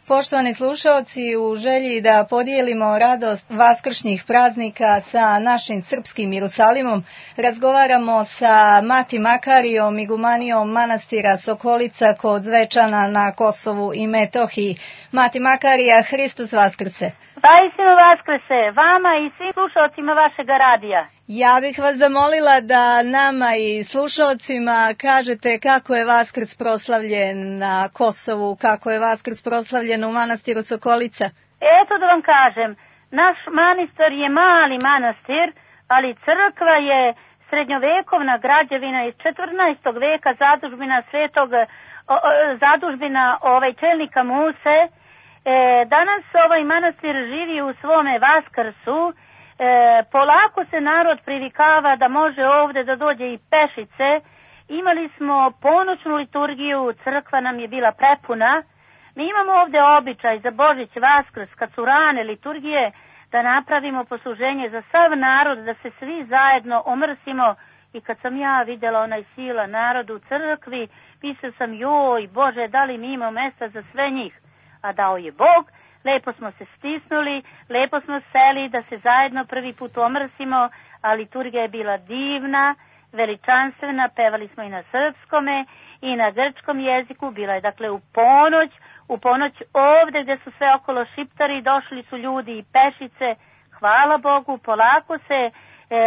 Poštovani slušalci, u želji da podijelimo radost vaskršnjih praznika sa našim srpskim Jerusalimom, razgovaramo sa Mati Makarijom, igumanijom manastira Sokolica kod Zvečana na Kosovu i Metohiji. Mati Makarija, Hristos Vaskrse! Vaistinu Vaskrse, vama i svim slušalcima vašeg radija. Ja bih vas zamolila da nama i slušalcima kažete kako je Vaskrs proslavljen na Kosovu, kako je Vaskrs proslavljen u manastiru Sokolica. Eto da vam kažem, naš manastir je mali manastir, ali crkva je srednjovekovna građevina iz 14. veka, zadužbina čelnika Muse. Danas ovaj manastir živi u svome Vaskrsu. Polako se narod privikava da može ovdje da dođe i pešice. Imali smo ponoćnu liturgiju, crkva nam je bila prepuna. Mi imamo ovdje običaj za Božić, Vaskrs, kad su rane liturgije, da napravimo posluženje za sav narod, da se svi zajedno omrsimo. I kad sam ja vidjela onaj sila narodu u crkvi, mislila sam, joj Bože, da li mi imamo mjesta za sve njih? A dao je Bog. Lepo smo se stisnuli, lepo smo seli da se zajedno prvi put omrsimo, a liturgija je bila divna, veličanstvena, pevali smo i na srpskome i na grčkom jeziku, bila je dakle u ponoć ovdje gdje su sve okolo šiptari, došli su ljudi i pešice, hvala Bogu, polako se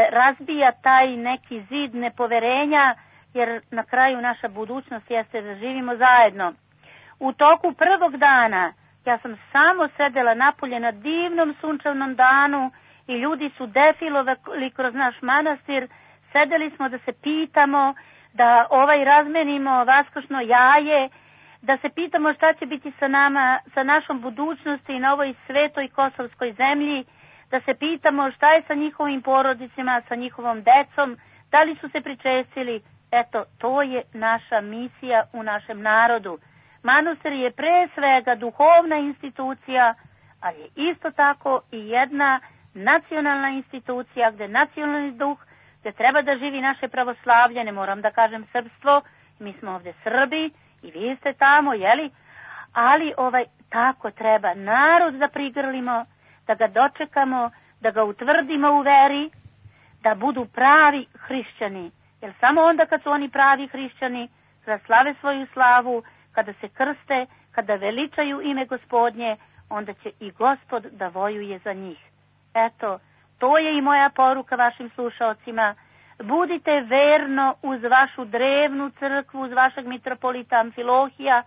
razbija taj neki zid nepoverenja, jer na kraju naša budućnost jeste da živimo zajedno. U toku prvog dana ja sam samo sedela napolje na divnom sunčevnom danu i ljudi su defilovali kroz naš manastir. Sedeli smo da se pitamo, da razmenimo vaskršno jaje, da se pitamo šta će biti sa nama, sa našom budućnosti na ovoj svetoj kosovskoj zemlji, da se pitamo šta je sa njihovim porodicima, sa njihovom decom, da li su se pričestili. Eto, to je naša misija u našem narodu. Manastir je pre svega duhovna institucija, ali je isto tako i jedna nacionalna institucija gdje nacionalni duh, gdje treba da živi naše pravoslavlje, ne moram da kažem srpstvo, mi smo ovdje Srbi i vi ste tamo, jeli? Ali tako treba narod da prigrlimo, da ga dočekamo, da ga utvrdimo u veri, da budu pravi hrišćani. Jer samo onda kad su oni pravi hrišćani, kada slave svoju slavu, kada se krste, kada veličaju ime Gospodnje, onda će i Gospod da vojuje za njih. Eto, to je i moja poruka vašim slušaocima. Budite verno uz vašu drevnu crkvu, uz vašeg mitropolita Amfilohija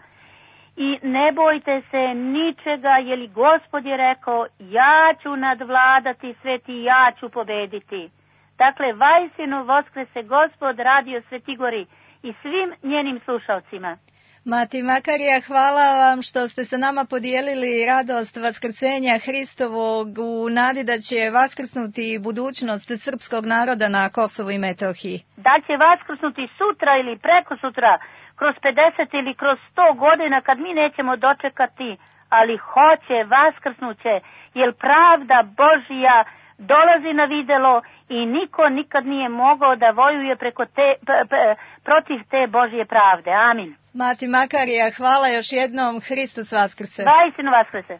i ne bojte se ničega, jer Gospod je rekao, ja ću nadvladati svet i ja ću pobediti. Dakle, vaistinu Vaskrse Gospod, Radio Svetigori i svim njenim slušaocima. Mati Makarija, hvala vam što ste sa nama podijelili radost vaskrsenja Hristovog u nadi da će vaskrsnuti budućnost srpskog naroda na Kosovu i Metohiji. Da će vaskrsnuti sutra ili preko sutra, kroz 50 ili kroz 100 godina kad mi nećemo dočekati, ali hoće, vaskrsnuće, jer pravda Božija dolazi na videlo i niko nikad nije mogao da vojuje protiv te Božje pravde. Amin. Mati Makarija, hvala još jednom. Hristos Vaskrse. Vaistinu Vaskrse.